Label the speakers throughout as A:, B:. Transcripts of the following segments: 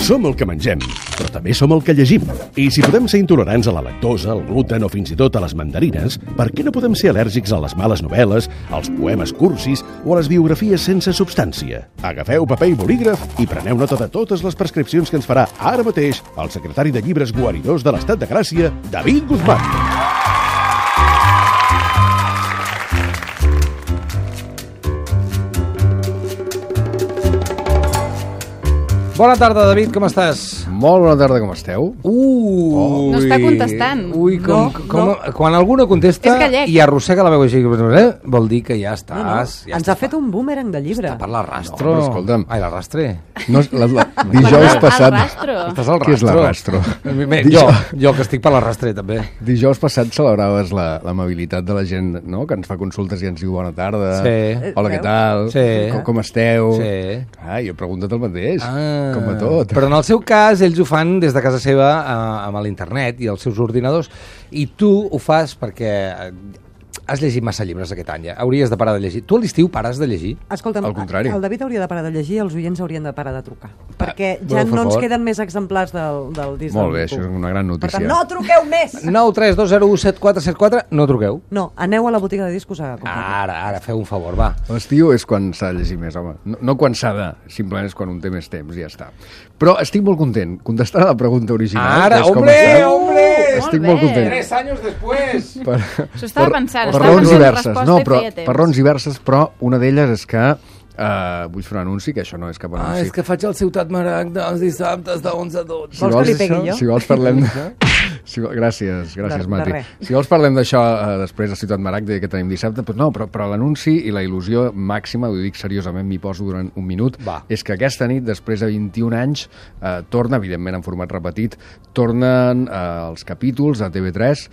A: Som el que mengem, però també som el que llegim. I si podem ser intolerants a la lactosa, al gluten o fins i tot a les mandarines, per què no podem ser al·lèrgics a les males novel·les, als poemes cursis o a les biografies sense substància? Agafeu paper i bolígraf i preneu nota de totes les prescripcions que ens farà ara mateix el secretari de Llibres Guaridors de l'Estat de Gràcia, David Guzmán.
B: Bona tarda, David, com estàs?
C: Molt bona tarda, com esteu?
D: No està contestant.
B: Ui,
D: No.
B: quan algú no contesta
D: És gallec.
B: i arrossega la veu així, vol dir que ja estàs... Ja
E: Ens ha fet un boomerang de llibre.
B: Està per l'arrastro.
C: No, però escolta'm.
B: Ai, l'arrastre.
C: No, dijous passat...
D: Arrastro.
B: Estàs al
C: Què és l'arrastro?
B: Jo, que estic per l'arrastre, també.
C: Dijous passat celebraves l'amabilitat de la gent, no?, que ens fa consultes i ens diu bona tarda.
B: Sí.
C: Hola, què tal?
B: Sí.
C: Com esteu?
B: Sí.
C: Jo he preguntat el mateix, com a tot.
B: Però en el seu cas, ells ho fan des de casa seva amb l'internet i els seus ordinadors, i tu ho fas perquè has llegit massa llibres aquest any, ja. Hauries de parar de llegir. Tu a l'estiu pares de llegir?
E: Escolta'm,
C: Al contrari.
E: el David hauria de parar de llegir i els oients haurien de parar de trucar. Perquè
B: per
E: ja no ens
B: favor.
E: queden més exemplars del disc.
C: Molt bé,
E: del
C: això és
E: Nico.
C: una gran
E: Per
C: notícia.
E: tant, no truqueu més!
B: 932017474, no truqueu.
E: No, aneu a la botiga de discos a comprar.
B: Ara, feu un favor, va.
C: L'estiu és quan s'ha de llegir més, home. No quan s'ha de, simplement és quan un té més temps i ja està. Però estic molt content. Contestant a la pregunta original.
B: Ara,
C: que és com
B: hombre!
C: Estic
D: Molt
C: molt
D: bé.
C: content.
B: 3 anys després!
D: S'ho estava pensant,
C: per
D: estava
C: raons
D: pensant
C: diverses.
D: resposta
C: No,
D: i
C: però
D: feia temps.
C: per raons diverses, però una d'elles és que vull fer un anunci, que això no és cap anunci.
B: és que faig el Ciutat Maragda els dissabtes de 11 a 12.
E: Vols que li pegui jo?
C: Si vols parlem gràcies,
E: De
C: Mati.
E: res.
C: Si vols parlem d'això després a Ciutat Maragda que tenim dissabte, doncs no, però l'anunci i la il·lusió màxima, ho dic seriosament, m'hi poso durant un minut,
B: Va.
C: és que aquesta nit, després de 21 anys, torna, evidentment en format repetit, tornen els capítols a TV3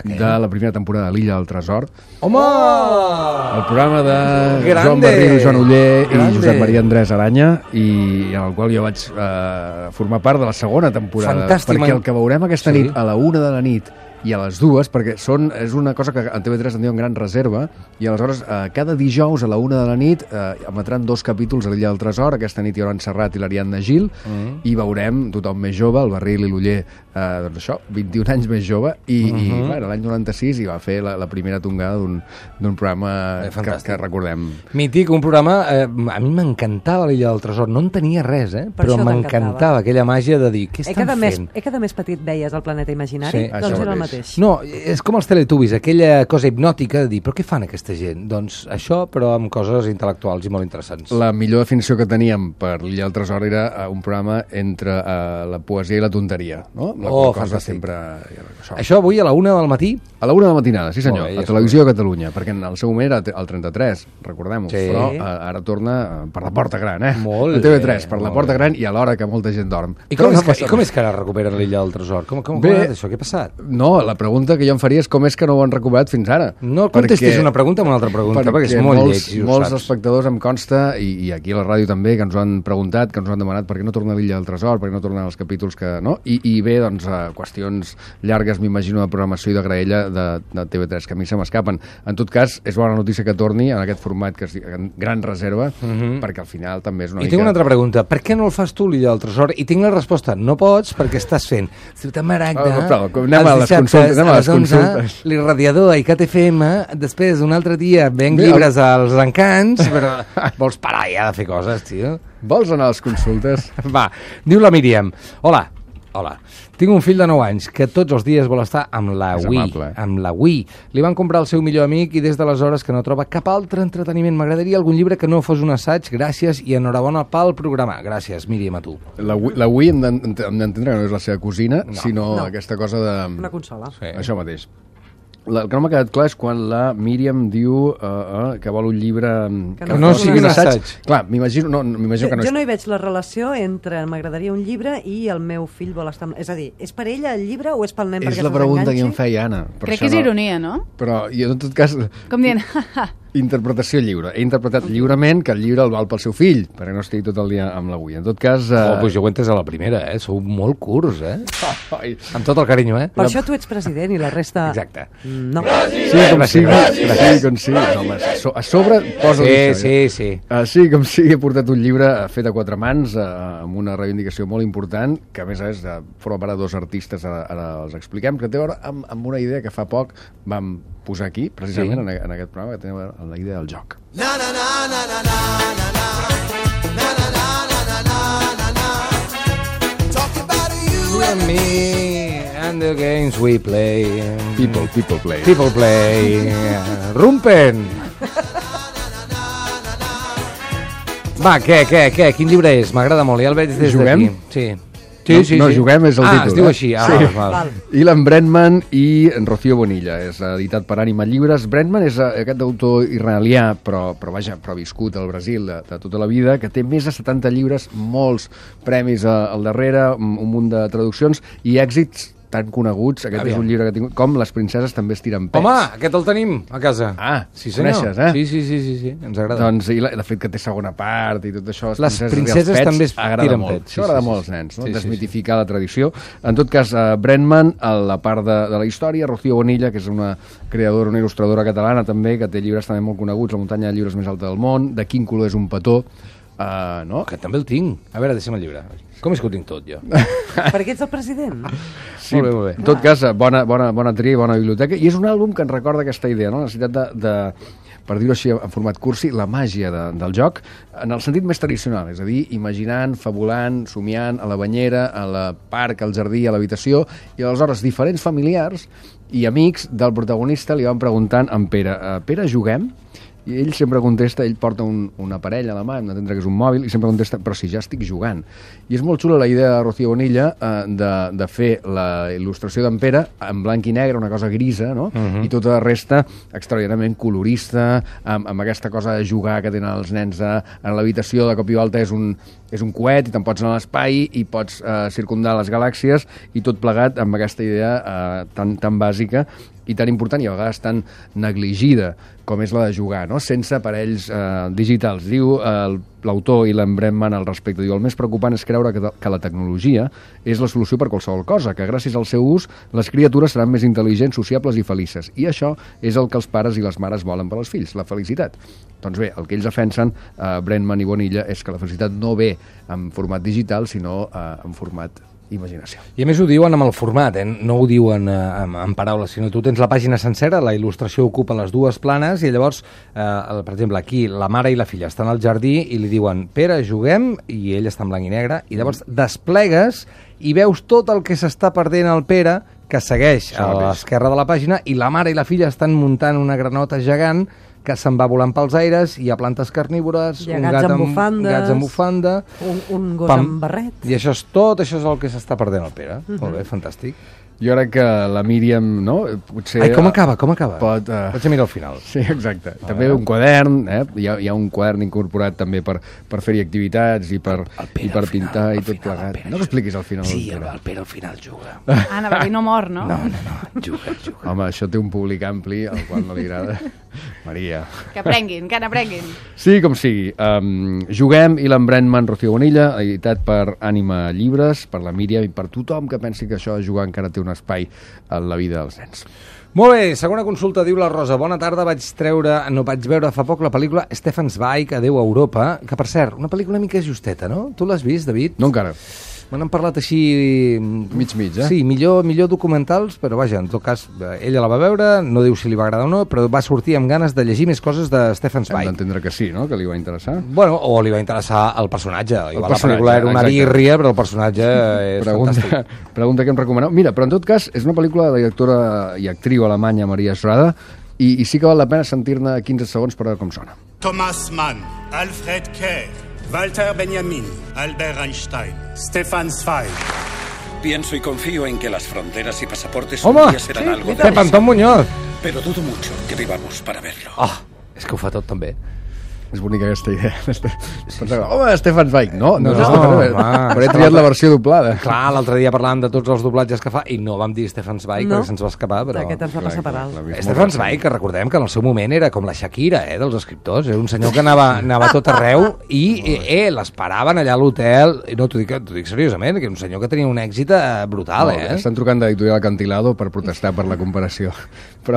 C: de la primera temporada de l'Illa del Tresor.
B: Home!
C: El programa de
B: Grande!
C: Joan Barril, Joan Oller
B: Grande!
C: i Josep Maria Andrés Aranya, i en el qual jo vaig formar part de la segona temporada.
B: Fantàstic,
C: Perquè el que veurem aquesta
B: Sí.
C: nit a la 1 de la nit i a les 2, perquè és una cosa que a TV3 en diuen gran reserva, i aleshores cada dijous a la 1 de la nit emetran 2 capítols a l'Illa del Tresor. Aquesta nit hi haurà en Serrat i l'Ariadna Gil, i veurem tothom més jove, el Barril i l'Oller, doncs això, 21 anys més jove, i bueno, l'any 96 hi va fer la primera tongada d'un programa que recordem.
B: Mític, un programa... a mi m'encantava l'Illa del Tresor. No en tenia res,
E: Per
B: però
E: això
B: m'encantava aquella màgia de dir, què estan fent?
E: Que de més petit veies el planeta imaginari?
B: Sí,
E: doncs
C: això
E: era el
C: mateix.
E: mateix.
B: No, és com els Teletubbies, aquella cosa hipnòtica de dir, però què fan aquesta gent? Doncs això, però amb coses intel·lectuals i molt interessants.
C: La millor definició que teníem per l'Illa del Tresor era un programa entre la poesia i la tonteria, no? La cosa
B: fantàstic.
C: sempre...
B: Això avui a la 1 del matí?
C: A la 1 de la matinada, sí senyor,
B: Molt bé, ja
C: a Televisió de Catalunya, perquè en el seu moment era el 33, recordem-ho,
B: Sí.
C: però ara torna per la porta gran,
B: Molt
C: a TV3,
B: bé,
C: per la
B: molt
C: porta
B: bé.
C: gran i a l'hora que molta gent dorm.
B: I
C: Però
B: com,
C: no
B: és que,
C: passa
B: i com
C: res.
B: és que ara recuperen l'Illa del Tresor? Com
C: Bé.
B: ha anat això? Què ha passat?
C: No, la pregunta que jo em faria és com és que no ho han recuperat fins ara.
B: No contestis una pregunta amb una altra pregunta, perquè és molt lleig, i ho
C: molts
B: saps.
C: espectadors em consta, i aquí a la ràdio també, que ens ho han preguntat, que ens ho han demanat, per què no torna l'Illa del Tresor, per què no tornen els capítols que... No? I bé, doncs, qüestions llargues, m'imagino, de programació i de graella de TV3, que a mi se m'escapen. En tot cas, és bona notícia que torni en aquest format que es diu gran reserva, perquè al final també és una
B: I
C: mica...
B: tinc una altra pregunta. Per què no el fas tu, l'Illa del Tresor? I tinc la resposta. No pots perquè estàs fent Ciutat Maragda,
C: però anem a les
B: els
C: consultes,
B: dissabtes
C: anem a les
B: les 11,
C: consultes.
B: l'Irradiador i CatFM, després un altre dia venc llibres als encants, però vols parar ja de fer coses, tio?
C: Vols anar a les consultes?
B: Va, diu la Míriam. Hola. Tinc un fill de 9 anys que tots els dies vol estar amb la
C: És
B: Wii.
C: amable,
B: Amb la Wii. Li van comprar el seu millor amic i des d'aleshores que no troba cap altre entreteniment. M'agradaria algun llibre que no fos un assaig. Gràcies i enhorabona pel programa. Gràcies, Míriam, a tu.
C: La Wii hem d'entendre que no és la seva cosina, sinó aquesta cosa de...
E: Una consola.
B: Sí.
C: Això mateix. El que no m'ha quedat clar és quan la Míriam diu que vol un llibre
E: Que no sigui un
B: assaig.
C: Clar, m'imagino que no
E: Jo
C: és...
E: no hi veig la relació entre m'agradaria un llibre i el meu fill vol estar... És a dir, és per ella el llibre o és pel nen
C: És
E: perquè
C: la pregunta que em feia Anna. Per
D: Crec
C: això
D: que és ironia, no?
C: Però jo, en tot cas...
D: Com dient,
C: Interpretació lliure. He interpretat lliurement que el llibre el val pel seu fill, perquè no estigui tot el dia amb l'avui. En tot cas...
B: Pues jo ho he entès a la primera, Sou molt curts, Amb tot el carinyo,
E: Per això tu ets president i la resta...
B: Exacte.
E: No.
C: Sí, com sigui. Sí, com sigui. Home, a sobre posa
B: Sí.
C: Sí, com sigui, he portat un llibre fet a 4 mans, amb una reivindicació molt important, que a més forma part de 2 artistes, ara els expliquem, que té a veure amb una idea que fa poc vam posar aquí, precisament, en aquest programa, que té a veure amb la idea del joc.
B: You and me and the games we play.
C: People play.
B: People play. Rumpen! Va, què? Quin llibre és? M'agrada molt, ja el veig des d'aquí. Sí.
C: No, juguem és el títol.
B: Es diu així.
C: Sí.
B: Val.
C: Ilan Brenman i Rocío Bonilla. És editat per Ànima Llibres. Brenman és aquest autor israelià, però viscut al Brasil de tota la vida, que té més de 70 llibres, molts premis al darrere, un munt de traduccions i èxits tan coneguts. Aquest és un llibre que tinc, com Les princeses també estiren pets.
B: Home, aquest el tenim a casa.
C: Sí, senyor. Coneixes,
B: Sí, ens agrada.
C: Doncs, i de fet que té segona part i tot això.
B: Les princeses també estiren pets.
C: Això agrada molt als nens, no? Desmitificar la tradició. En tot cas, Brenman, a la part de la història, Rocío Bonilla, que és una creadora, una il·lustradora catalana també, que té llibres també molt coneguts, La muntanya de llibres més alta del món, De quin color és un petó, no?
B: Que també el tinc. A veure, deixa'm el llibre. Com és que ho tinc tot, jo?
E: Perquè ets el president.
C: Sí, molt bé. En tot cas, bona tria i bona biblioteca. I és un àlbum que ens recorda aquesta idea, no? La necessitat de per dir-ho així en format cursi, la màgia del joc en el sentit més tradicional, és a dir, imaginant, fabulant, somiant, a la banyera, a la parc, al jardí, a l'habitació, i aleshores diferents familiars i amics del protagonista li van preguntant a en Pere, Pere, juguem? I ell sempre contesta, ell porta un aparell a la mà, hem d'entendre que és un mòbil, i sempre contesta, però si ja estic jugant. I és molt xula la idea de Rocío Bonilla de fer la il·lustració d'en Pere en blanc i negre, una cosa grisa, no? I tota la resta extraordinàriament colorista, amb aquesta cosa de jugar que tenen els nens en l'habitació, de cop i volta és un coet i te'n pots anar a l'espai i pots circundar les galàxies i tot plegat amb aquesta idea tan bàsica i tan important i a vegades tan negligida com és la de jugar, no? Sense aparells digitals. Diu l'autor Ilan Brenman al respecte, diu, el més preocupant és creure que la tecnologia és la solució per qualsevol cosa, que gràcies al seu ús les criatures seran més intel·ligents, sociables i felices. I això és el que els pares i les mares volen per als fills, la felicitat. Doncs bé, el que ells defensen, Brenman i Bonilla, és que la felicitat no ve en format digital, sinó en format imaginació.
B: I a més ho diuen amb el format, no ho diuen en paraules, sinó tu tens la pàgina sencera, la il·lustració ocupa les dues planes i llavors, per exemple, aquí la mare i la filla estan al jardí i li diuen Pere, juguem, i ell està en blanc i negre, i llavors desplegues i veus tot el que s'està perdent el Pere, que segueix a l'esquerra de la pàgina, i la mare i la filla estan muntant una granota gegant que se'n va volant pels aires, hi ha plantes carnívores, un gat amb bufanda,
E: un gos amb barret.
B: I això és tot, això és el que s'està perdent el Pere. Molt bé, fantàstic.
C: Jo crec que la Míriam, no? Potser...
B: Ai, com acaba?
C: Vaig
B: a mirar al final.
C: Sí, exacte. També un quadern, hi ha un quadern incorporat també per fer-hi activitats i per pintar i tot plegat. No m'expliquis al final.
B: Sí, el Pere al final juga.
D: Anava a dir, no mor, no?
B: No, juga.
C: Home, això té un públic ampli, al qual no li agrada. Maria.
D: Que n'aprenguin.
C: Sí, com sigui. Juguem, Ilan Brenman, Rocío Bonilla, editat per Ànima Llibres, per la Míriam i per tothom que pensi que això de jugar encara té un espai en la vida dels nens.
B: Molt bé, segona consulta, diu la Rosa. Bona tarda, vaig veure fa poc la pel·lícula Stefan Zweig, Adeu a Europa, que per cert, una pel·lícula una mica justeta, no? Tu l'has vist, David?
C: No encara.
B: Me n'han parlat així...
C: Mig,
B: Sí, millor documentals, però vaja, en tot cas, ella la va veure, no diu si li va agradar o no, però va sortir amb ganes de llegir més coses de Stefan Zweig.
C: Hem d'entendre que sí, no?, que li va interessar.
B: Bueno, o li va interessar el personatge. La pel·lícula era una birria, però el personatge és fantàstic.
C: Pregunta que em recomaneu. Mira, però en tot cas, és una pel·lícula de la directora i actriu alemanya Maria Schrader, i sí que val la pena sentir-ne 15 segons per veure com sona.
F: Thomas Mann, Alfred Kerr, Walter Benjamin, Albert Einstein, Stefan Zweig.
G: Pienso y confío en que las fronteras y pasaportes
B: un
G: día serán algo
B: de Antón Muñoz.
G: Pero dudo mucho que vivamos para verlo.
B: És que ho fa tot també.
C: És bonica aquesta idea. Pensava, home, Stefan Zweig. No,
B: No,
C: és Stefan Zweig.
B: home,
C: Però he triat la versió doblada.
B: Clar, l'altre dia parlàvem de tots els doblatges que fa i no vam dir Stefan Zweig
E: No.
B: perquè se'ns va escapar, però...
E: Aquest ens va passar per alt.
B: Stefan Zweig, que recordem que en el seu moment era com la Shakira, dels escriptors. Era un senyor que anava a tot arreu i l'esperaven allà a l'hotel. I no, t'ho dic seriosament, que era un senyor que tenia un èxit brutal,
C: Estan trucant d'Editorial Acantilado per protestar per la comparació. Però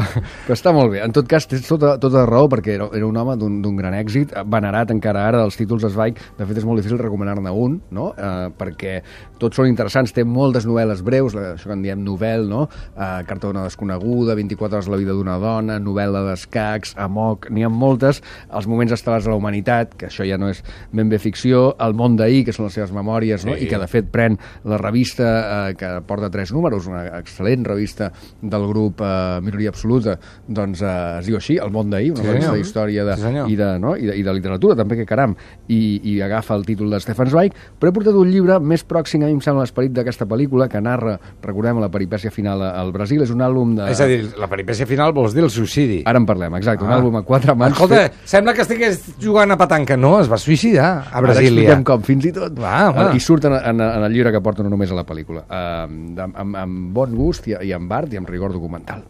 C: està molt bé. En tot cas, tens tota raó, perquè era un home d'un gran èxit, venerat encara ara dels títols Zweig. De fet, és molt difícil recomanar-ne un, no? Perquè tots són interessants. Té moltes novel·les breus, això que en diem novel, no? Carta d'una desconeguda, 24 hores la vida d'una dona, novel·la d'escacs, Amok, n'hi ha moltes. Els moments estel·lars de la humanitat, que això ja no és ben bé ficció, El món d'ahir, que són les seves memòries, no? I que de fet pren la revista que porta 3 números, una excel·lent revista del grup Minoria Absoluta, doncs es diu així, El món d'ahir, una revista d'història i de literatura, també, que caram, i agafa el títol de Stefan Zweig, però he portat un llibre més pròxim, a mi em sembla, l'esperit d'aquesta pel·lícula, que narra, recordem, la peripècia final al Brasil. És un àlbum de...
B: És a dir, la peripècia final vols dir el suïcidi.
C: Ara en parlem, exacte, un àlbum a 4 mans.
B: Escolta, sembla que estigués jugant a petanca. No, es va suïcidar a Brasília.
C: Ara expliquem com, fins i tot.
B: I
C: surt en el llibre que porta no només a la pel·lícula, amb bon gust i amb art i amb rigor documental.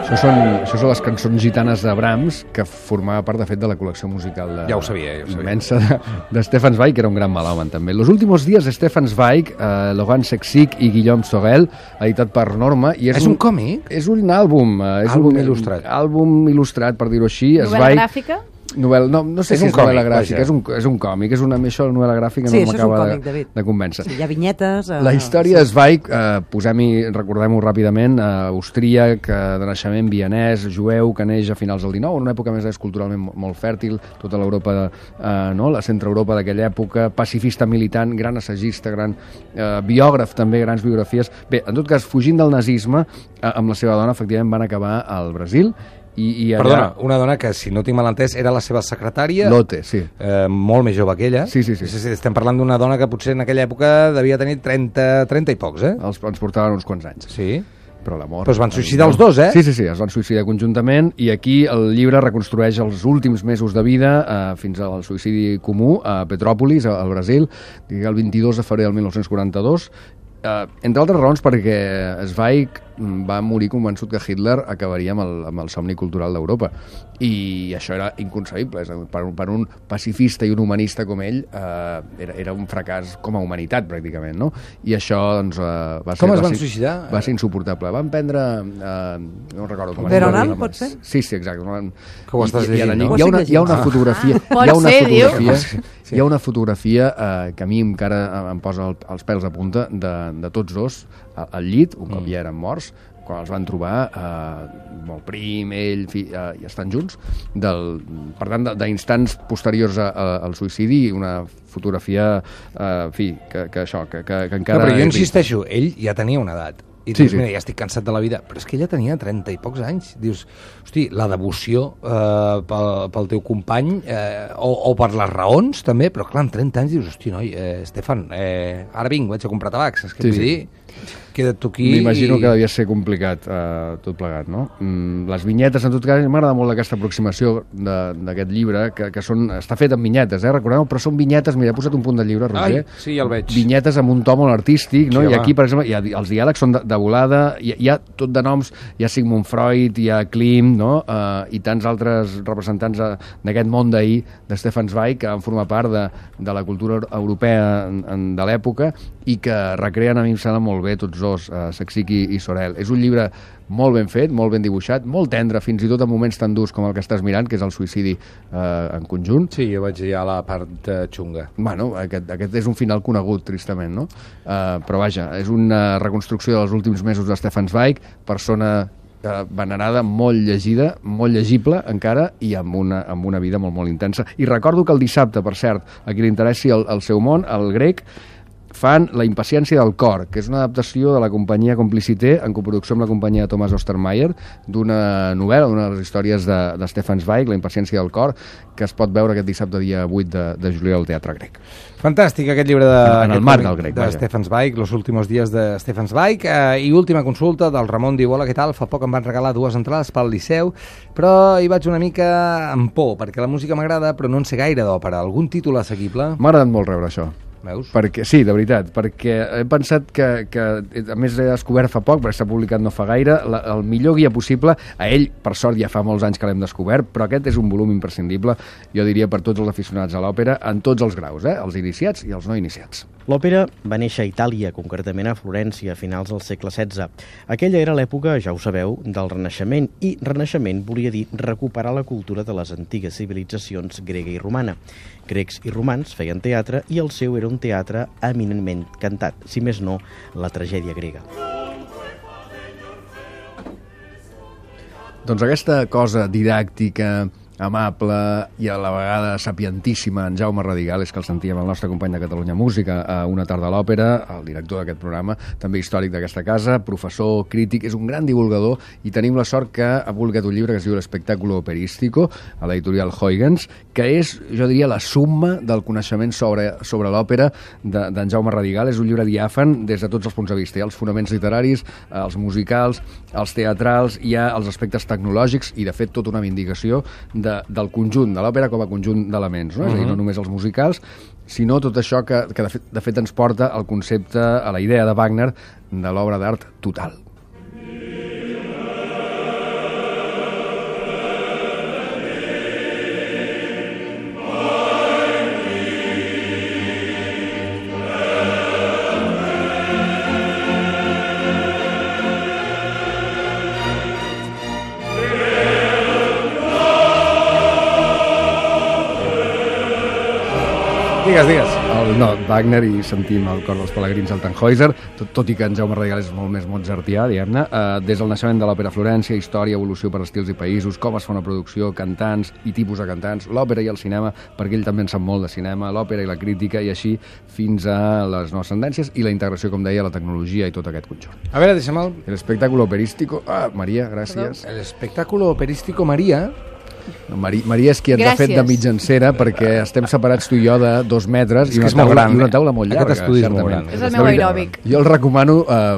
C: Això són les cançons gitanes de Brahms, que formava part, de fet, de la col·lecció musical
B: Ja ho sabia.
C: immensa de Stefan Zweig, que era un gran melòman, també. Los últimos días de Stefan Zweig, Laurent Sexic i Guillaume Sorel, editat per Norma. I
B: és un còmic?
C: És un àlbum.
B: Àlbum il·lustrat.
C: Àlbum il·lustrat, per dir-ho així.
D: Novel·la gràfica?
C: No sé si és novel·la gràfica, és un còmic, això de novel·la gràfica no m'acaba de convèncer.
E: Sí, hi ha vinyetes...
C: La història de Zweig, recordem-ho ràpidament, austríac, de naixement vienès, jueu, que neix a finals del XIX, en una època més culturalment molt fèrtil, tota l'Europa, la centre-Europa d'aquella època, pacifista militant, gran assagista, gran biògraf també, grans biografies. Bé, en tot cas, fugint del nazisme, amb la seva dona, efectivament, van acabar al Brasil.
B: Perdona, una dona que, si no tinc mal entès, era la seva secretària.
C: Lotte, sí.
B: Molt més jove que ella.
C: Sí.
B: Estem parlant d'una dona que potser en aquella època devia tenir 30 i pocs,
C: Ens portaven uns quants anys.
B: Sí.
C: Però l'amor...
B: Però es van suïcidar els dos,
C: Sí, es van suïcidar conjuntament, i aquí el llibre reconstrueix els últims mesos de vida fins al suïcidi comú a Petrópolis, al Brasil, el 22 de febrer del 1942, entre altres raons perquè Zweig va morir convençut que Hitler acabaria amb el somni cultural d'Europa, i això era inconcebible. Per un pacifista i un humanista com ell era un fracàs com a humanitat, pràcticament, no? I això doncs,
B: com es van suïcidar?
C: Va ser insuportable. Van prendre no recordo com
E: Veronal, pot ser?
C: Sí, exacte.
B: Que ho estàs llegint, no?
C: Hi ha una fotografia hi ha una fotografia que a mi encara em posa els pèls de punta de tots dos al llit, un cop ja eren morts, quan els van trobar, el prim, ell, i estan junts, per tant, d'instants posteriors al suïcidi, una fotografia, que encara...
B: Però jo insisteixo, ell ja tenia una edat. I dius, mira, ja estic cansat de la vida. Però és que ella tenia 30 i pocs anys. Dius, hosti, la devoció pel teu company, o per les raons, també, però clar, amb 30 anys dius, hosti, noi, Stefan, ara vinc, vaig a comprar tabacs. És que vull dir, queda't tu aquí...
C: M'imagino que devia ser complicat tot plegat, no? Les vinyetes, en tot cas, m'agrada molt aquesta aproximació d'aquest llibre, que està fet amb vinyetes, recordeu? Però són vinyetes, mira, he posat un punt del llibre, Roger.
B: Ai, sí, ja el veig.
C: Vinyetes amb un to molt artístic, no? I aquí, per exemple, els diàlegs són de volada, hi ha tot de noms, hi ha Sigmund Freud, hi ha Klimt, no? I tants altres representants d'aquest món d'ahir, de Stefan Zweig, que van formar part de la cultura europea de l'època, i que recreen, a mi em sembla molt bé, tots dos, Sexic i Sorel. És un llibre molt ben fet, molt ben dibuixat, molt tendre, fins i tot en moments tan durs com el que estàs mirant, que és el suïcidi en conjunt.
B: Sí, jo vaig dir a la part xunga.
C: Bueno, aquest és un final conegut, tristament, no? Però vaja, és una reconstrucció dels últims mesos de Stefan Zweig, persona venerada, molt llegida, molt llegible encara, i amb una vida molt, molt intensa. I recordo que el dissabte, per cert, a qui li interessi el seu món, el grec, fan La impaciència del cor, que és una adaptació de la companyia Complicité, en coproducció amb la companyia Thomas Ostermeyer, d'una novel·la, una de les històries de Stefan Zweig, La impaciència del cor, que es pot veure aquest dissabte dia 8 de juliol al Teatre Grec.
B: Fantàstic aquest llibre
C: en el marc del Grec,
B: de Stefan Zweig, Los últimos días de Stefan Zweig. I última consulta del Ramon diu: hola, què tal? Fa poc em van regalar 2 entrades pel Liceu, però hi vaig una mica amb por, perquè la música m'agrada, però no en sé gaire d'òpera. Algun títol assequible?
C: M'ha agradat molt rebre això.
B: Veus?
C: Perquè, sí, de veritat, perquè he pensat que a més he descobert fa poc, perquè s'ha publicat no fa gaire, el millor guia possible. A ell, per sort, ja fa molts anys que l'hem descobert, però aquest és un volum imprescindible, jo diria, per tots els aficionats a l'òpera, en tots els graus, els iniciats i els no iniciats.
H: L'òpera va néixer a Itàlia, concretament a Florència, a finals del segle XVI. Aquella era l'època, ja ho sabeu, del Renaixement, i Renaixement volia dir recuperar la cultura de les antigues civilitzacions grega i romana. Grecs i romans feien teatre i el seu era un teatre eminentment cantat, si més no, la tragèdia grega.
C: Doncs aquesta cosa didàctica, amable i a la vegada sapientíssima en Jaume Radigales, que el sentíem el nostre company de Catalunya Música a Una tarda a l'òpera, el director d'aquest programa, també històric d'aquesta casa, professor, crític, és un gran divulgador i tenim la sort que ha publicat un llibre que es diu L'espectáculo operístico, a l'editorial Huygens, que és, jo diria, la summa del coneixement sobre l'òpera d'en Jaume Radigales. És un llibre diàfan des de tots els punts de vista. Hi ha els fonaments literaris, els musicals, els teatrals, hi ha els aspectes tecnològics i, de fet, tota una vindicació del conjunt de l'òpera com a conjunt d'elements, no? És a dir, no només els musicals, sinó tot això que de fet ens porta al concepte, a la idea de Wagner de l'obra d'art total.
B: Digues.
C: Wagner, i sentim el cor dels pelegrins del Tannhäuser, tot i que en Jaume Radigales és molt més mozartià, diguem-ne, des del naixement de l'òpera a Florència, història, evolució per estils i països, com es fa una producció, cantants i tipus de cantants, l'òpera i el cinema, perquè ell també en sap molt de cinema, l'òpera i la crítica, i així fins a les noves tendències i la integració, com deia, la tecnologia i tot aquest conjunt.
B: A veure, deixa'm el...
C: El espectáculo operístico... Maria, gràcies.
B: El espectáculo operístico Maria...
C: Maria és qui ens ha fet de mitjancera, perquè estem separats tu i jo de 2 metres i una taula molt llarga.
B: Aquest estudi és molt gran.
D: És el meu aeròbic.
C: Jo el recomano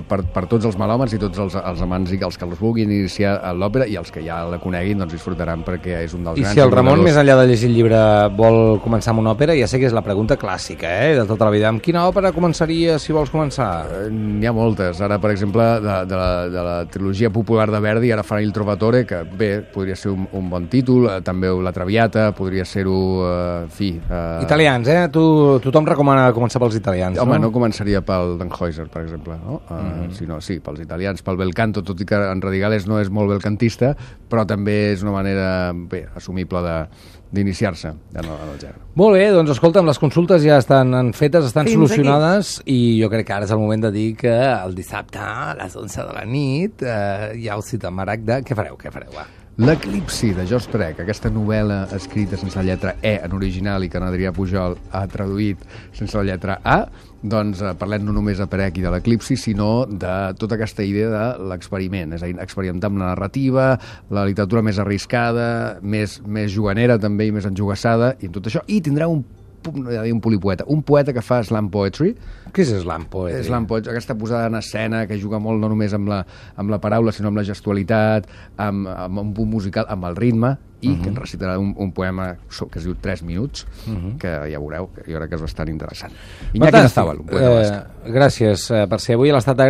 C: per tots els melòmans i tots els amants i els que els vulguin iniciar a l'òpera, i els que ja la coneguin doncs disfrutaran, perquè és un dels grans...
B: I si el Ramon, més enllà de llegir el llibre, vol començar amb una òpera, ja sé que és la pregunta clàssica, de tota la vida. Amb quina òpera començaria si vols començar?
C: N'hi ha moltes. Ara, per exemple, de la trilogia popular de Verdi, ara farà Il Trovatore, que bé, podria ser un bon títol, també La Traviata, podria ser-ho,
B: Italians, Tothom recomana començar pels italians,
C: Home, no començaria pel Tannhäuser, per exemple, no? Sinó, sí, pels italians, pel bel canto, tot i que en Radigales no és molt belcantista, però també és una manera, assumible d'iniciar-se en el gènere.
B: Molt bé, doncs escolta'm, les consultes ja estan fetes, estan
E: Fins
B: solucionades, i jo crec que ara és el moment de dir que el dissabte a les 11 de la nit hi ha el Cita Maragda. Què fareu, va?
C: L'Eclipsi, de George Perec, aquesta novel·la escrita sense la lletra E en original i que en Adrià Pujol ha traduït sense la lletra A, doncs parlem no només de Perec i de l'Eclipsi, sinó de tota aquesta idea de l'experiment, és a dir, experimentar amb la narrativa, la literatura més arriscada, més juganera també i més enjugassada, i en tot això, i tindrà un polipoeta, un poeta que fa slam poetry.
B: Què és slam poetry?
C: Slam poetry, aquesta posada en escena que juga molt no només amb la paraula, sinó amb la gestualitat, amb un punt musical, amb el ritme, i que ens recitarà un poema que es diu 3 minuts, que ja veureu, jo crec que és bastant interessant. Iñaki Nazábal, un poeta basc.
B: Gràcies per ser avui a l'Estat de Gràcia.